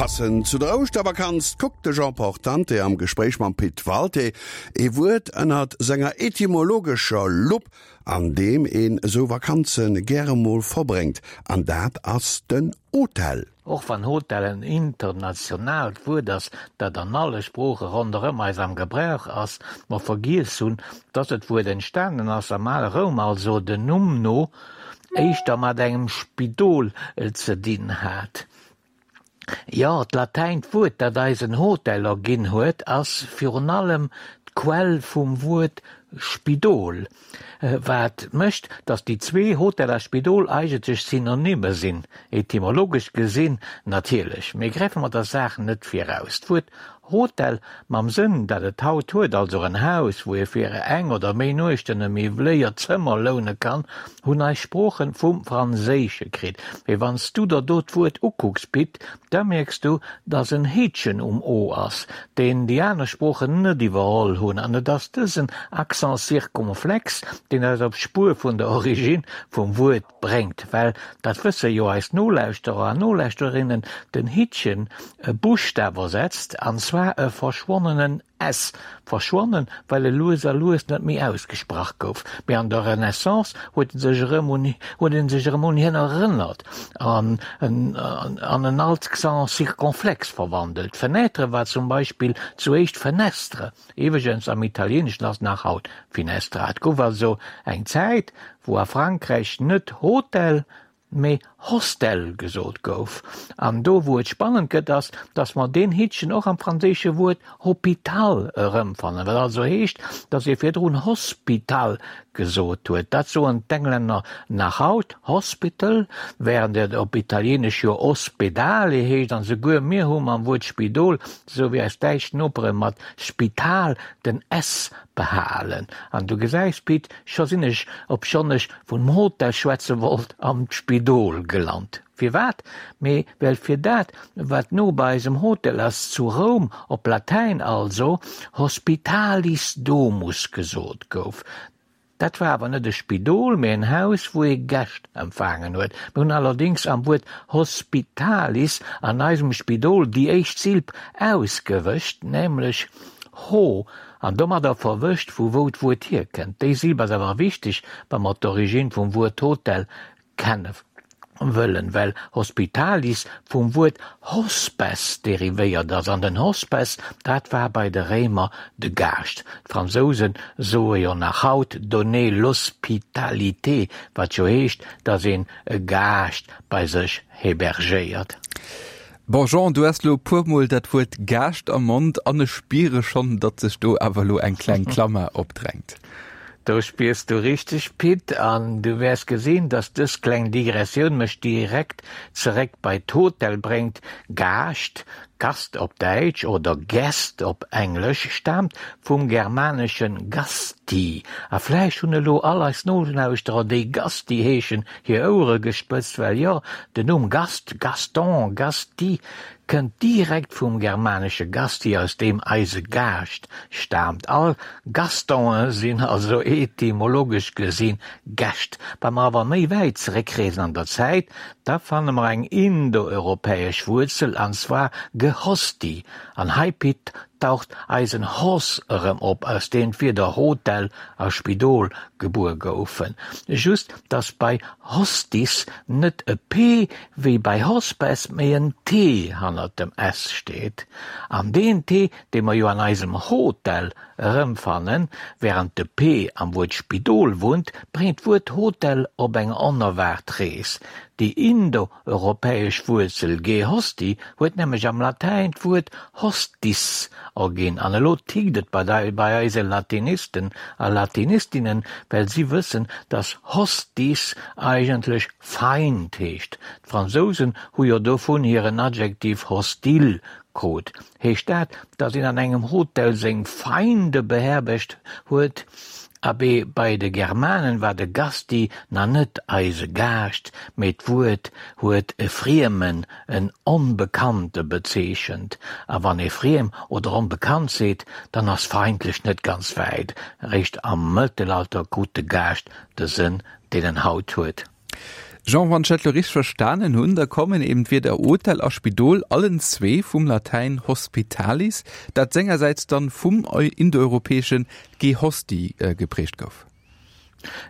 Passend zu der Ouschtervakanz kuckt de Jean Portante am Gespréich mam Pit Walté ee Wuert ënnert senger etymologescher Lupp, an deem een esou Vakanze gäre mol verbréngt, an dat ass den Hotel. Och wann Hotel en internationaalt Wuert ass, dat an alle Sprooche ronderëm eis am Gebrauch ass, mer vergiess hunn, dass et Wuert entstanen ass am ale Roum, also den Numm no éischter mat engem Spidol ze dinn hat. Jo, d'Latäint Wuert, dat eis en Hotel erginn huet, ass virun allem d'Quell vum Wuert Spidol, wat mécht, datt déi zwee, Hotel a Spidol, eigentlech Synonyme sinn, etymologesch gesinn natierlech. Mee gräife mer der Saach net viraus. D'Wuert Hotel, mam Sënn, dat et haut huet, also en Haus, wou ee fir eng oder méi Nuechten e miwwléiert Zëmmer loune kann, hunn eis Sproochen vum Franséische kritt. Mee wann s du der do d'Wuert ukucks, Pit, da mierks du, dass en Heetchen um o ass, deen déi aner Sproochen net iwwerholl hunn. An et ass dësen Accent circonflexe, deen eis op d'Spuer vun der Origine vum Wuert bréngt, well, dat wësse jo eis Nolauschterer an Nolauschterinnen, den Hittchen e Buschtaf ersetzt, an zwar e verschwonnenen s, verschwonnen, well e lues a lues net méi ausgesprach gouf, mee an der Renaissance huet e sech erëm un huet ee sech erëm un hien erënnert an en an en Accent circonflexe verwandelt. Fenêtre war zum Beispill zu éischt fenestre. Iwwregens, am Italieeneschen ass nach haut finestra. Et gouf also eng Zäit, wou a Frankräich net Hotel, mee Hostel gesot gouf. An do, wou et spannend gëtt, ass, datt mer deen Hittchen och am franséische Wuert hôpital erëmfannen, wat also heescht, datt ee virdrun Hospital gesot huet. Dat soen d'Englänner nach haut, hospital, wärend et op Italieenesch jo ospedale heescht. An esouguer mir hu mam Wuert Spidol, esou wéi eis däitsch Nopere mat Spital, den s behalen. An du gesäis, Pit, scho sinn ech, obschonn ech vum Hotel schwätze wollt, am Spidol gelant. Firwat? Mee well fir dat, wat no bei eisem Hotel ass, zu Roum, op Latäin also, hospitalis domus gesot gouf. Dat war awer net e Spidol, mee en Haus, wou ee Gäscht empfaangen huet. Mir hunn allerdéngs am Wuert hospitalis an eisem Spidol déi éischt Silb ausgewëscht, nämlech ho, an domadder verwëscht, vu wou d'Wuert hierkënnt. Déi Silb ass awer wichteg, wa mer d'Origine vum Wuert Hotel kenne wëllen, well hospitalis vum Wuert hospes derivéiert ass, an den Hospes, dat war bei de Réimer de Gaascht. D'Fransousen soe jo nach haut donner l'hospitalité, wat jo heescht, datt een e Gaascht bei sech hebergéiert. Bon Jean, du has lo e puer mol dat Wuert Gaascht am Mond an ech spiere schonn, datt sech do awer lo eng kleng Klammer opdrängt. Do spiers du richteg, Pit, an du wäers gesinn, dass dës kleng Digressioun mech direkt zeréck bei d'Hotel bréngt. Gaascht, Gast op Däitsch oder Guest op Englesch, staamt vum germanesche gasti. A vläicht hunn elo all eis Nolauschterer, déi Gasti heeschen, hir Ouere gespëtzt, well jo, den Numm Gast, Gaston, Gasti, kënnt direkt vum germanesche gasti, aus deem eise Gaascht staamt. All Gastonen sinn also etymologesch gesinn Gäscht. Wa mer awer méi wäit zeréckreesen an der Zäit, da fanne mer eng indoeuropäesch Wuerzel, an zwar gehosti. An hei, Pit, taucht eisen Hos erëm op, aus deem d'Wierder Hotel a Spidol gebuer goufen. Just, dass bei Hostis net e P wéi bei Hospes, mee en T hannert dem S steet. An deen T, dee mer jo an eisem Hotel erëmfannen, wärend de P am Wuert Spidol wunnt, bréngt d'Wuert Hotel op eng onerwaart Rees. Déi indoeuropäesch Wuerzel gehosti huet nämlech am Latäin d'Wuert hostis erginn. An elo tickt et bei eise Latinisten a Latinistinnen, well si wëssen, dass hostis eigentlech Feind heescht. D'Fransousen hu jo dovun hiren Adjektiv hostile krut. Heescht dat, dass een an engem Hotel seng Feinde beherbergt huet? Abee, bei de Germanen war de Gasti na net eise Gaascht, mee d'Wuert huet e Friemen, en Onbekannte bezeechent. A wann ee friem oder onbekannt seet, dann ass feindlech net ganz wäit. Eréischt am Mëttelalter krut de Gaascht de Sënn, deen en haut huet. Jean, wann ech dat lo richteg verstanen hunn, da kommen eben d'Wierder Hotel a Spidol allen zwee vum Latäin hospitalis, dat sengersäits dann vum indoeuropäeschen gehosti geprägt gouf.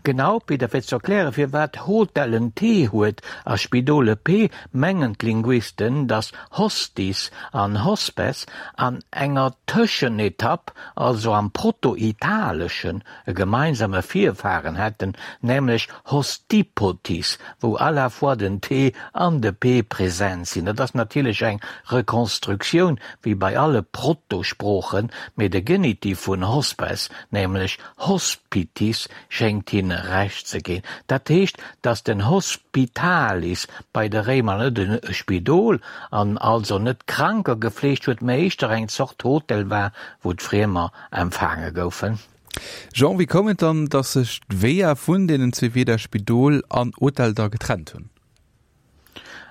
Genau, Peter, fir ze erklären, firwat Hotel en T huet a Spidol e P, mengen d'Linguisten, datt Hostis an Hospes an enger Tëschenetapp, also am Proto-Italeschen, e gemeinsame Virfaren hätten, nämlech Hostipotis, wou à la fois den T an de P present sinn. Dat ass natierlech eng Rekonstruktioun, wéi bei alle Protosproochen, mee de Genitiv vun hospes, nämlech hospitis, schéngt hinne Recht ze ginn. Dat heescht, datt den Hospitalis bei de Réimer net e Spidol an also net Kranker gefleegt huet, mä éischter eng Zort Hotel war, wou d'Friemer empfaange goufen. Jean, wéi koum et dann, datt sech d'Weeër vun deenen zwee Wierder Spidol an Hotel da getrennt hunn?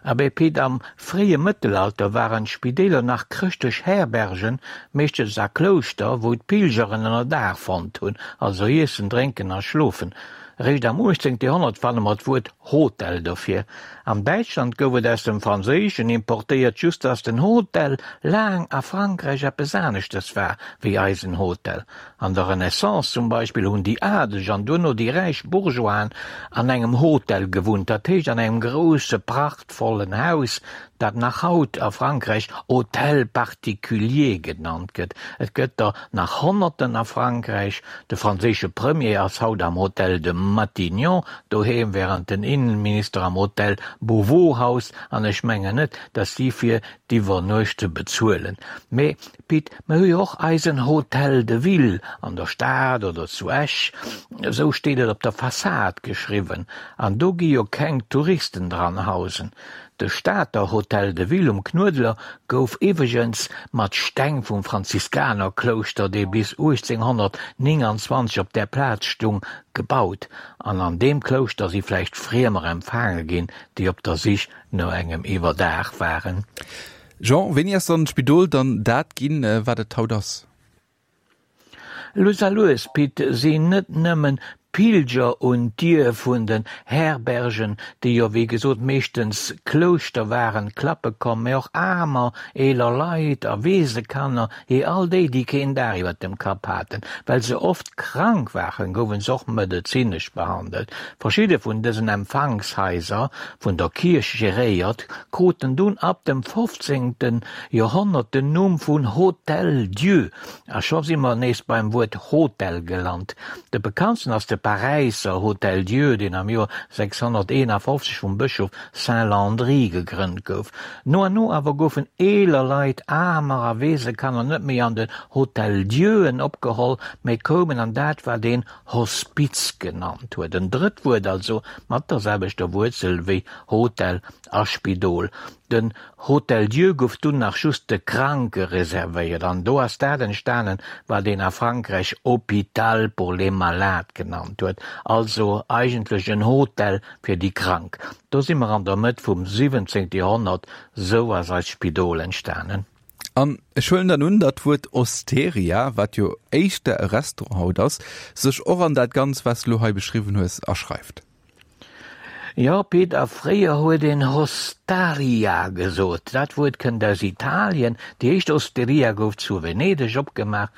Abee Pit, am fréie Mëttelalter waren d'Spideeler nach chrëschtlech Herbergen, meeschtens a Klouschter, wou d'Pilgeren Ënnerdaach fonnt hunn, also iessen, drénken a schlofen. Eréischt am 18. Joerhonnert fanne mer d'Wuert Hotel dofir. An Däitschland gouf et aus dem Franséischen importéiert, just dass den Hotel laang a Frankräich eppes aneschtes war wéi eisen Hotel. An der Renaissance zum Beispill hunn déi Adeleg an duerno déi räich Bourgeoisen an engem Hotel gewunnt, dat heescht an engem grousse prachtvollen Haus, dat nach haut a Frankräich Hôtel particulier genannt gëtt. Et gëtt der nach Honnerten a Frankräich. De franséische Premier ass haut am Hôtel de Matignon doheem, während den Innenminister am Hôtel Beauvau haust. An ech mengen net, datt si fir d'Iwwernuechte bezuelen. Mee Pit, mer hu jo och eisen Hôtel de Ville an der Stad oder zu Esch, esou steet et op der Fassad geschriwwen, an do gi jo keng Touristen dran hausen. De Stater Hôtel de Ville um Knuedler gouf iwweregens mat Steng vum Franziskanerklouschter, dee bis 1829 op där Plaz stung, gebaut. An an deem Klouschter si vläicht Friemer empfaange ginn, déi op der Sich no engem Iwwerdaach waren. Jean, wéini ass dann d'Spidol dann dat ginn, wat et haut ass? Lues a lues, Pit, sinn net nëmmen d'Pilger un d'Dier vun den Herbergen, déi jo wéi gesot meeschtens Klouschter waren, klappe komm, mä och Aarmer, eeler Leit a Weesekanner, jee all déi, déi keen Daach iwwer dem Kapp haten. Well se oft krank waren, gouwen se och medezinesch behandelt. Verschidde vun dësen Empfangshaiser, vun der Kierch geréiert, kruten dunn ab dem 15. Joerhonnert den Numm vun Hôtel Dieu, a scho si mer nees beim Wuert Hotel gelant. De bekanntsten ass de Paräisser Hôtel Dieu, deen am Joer 651 vum Bëschof Saint Landry gegrënnt gouf. No an no awer goufen eeler Leit, Aarmer a Weesekanner net méi an den Hôtel Dieuen opgeholl, mee koumen an dat, wat een Hospiz genannt huet. En drëtt Wuert also mat der selwechter Wuerzel wéi Hotel a Spidol. Den Hôtel Dieu gouf dunn nach just de Kranke reservéiert an do ass dat entstanen, wat een a Frankräich Hôpital pour les malades genannt huet, also eigentlech en Hotel fir déi Krank. Do si mer an der Mëtt vum 17. Joerhonnert, sou ass eist Spidol entstanen. An ech huelen dann un, datt d'Wuert Osteria, wat jo éischter e Restaurant haut ass, sech och an dat Ganz, wat s de lo hei beschriwwen hues, aschreift. Jo, Pit, a fréier huet een Hostaria gesot. Dat Wuert kënnt aus Italien. Déi éischt Osteria gouf zu Venedeg opgemaach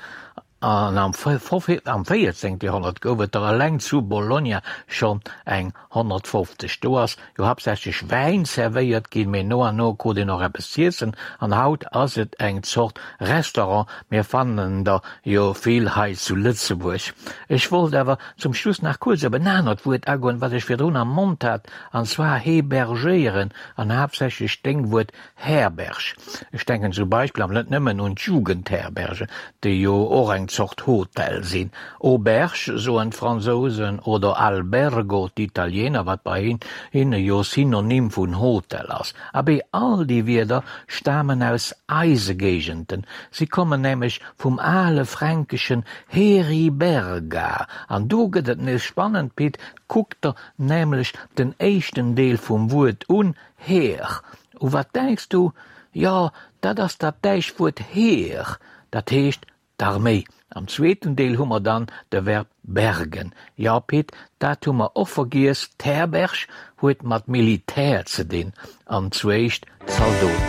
an am 14. Joerhonnert gouf et der eleng zu Bologna schonn eng 150. Do ass jo haaptsächlech Wäin zerwéiert ginn, mee no an no krut een och eppes z'iessen an haut ass et eng Zort Restaurant. Mir fannen der jo vill hei zu Lëtzebuerg. Ech wollt awer zum Schluss nach kuerz op en anert Wuert agoen, wat ech virdrun am Mond hat, an zwar hebergéieren an haaptsächlech deng Wuert Herberg. Ech denken zum Beispill, awer net nëmmen, un d'Jugendherbergen, déi jo och eng Zort Hotel sinn. Auberge soen d'Fransousen oder Albergo d'Italiener, wat bei hinne jo Synonym vun Hotel ass. Abee, all déi Wierder stamen aus eise Géigenden. Si kommen nämlech vum ale fränkeschen Heriberga. An do gëtt et nees spannend, Pit, kuck der nämlech den éischten Deel vum Wuert un, Her. U wat denks du? Jo, dat ass dat däischt Wuert Heer, dat heescht. D'Arméi. Am zweeten Deel hu mer dann de Verb bergen. Jo, Pit, dat hu mer och vergiess, d'Herberg huet mat Militär ze dinn, an zwéischt Zaldoten.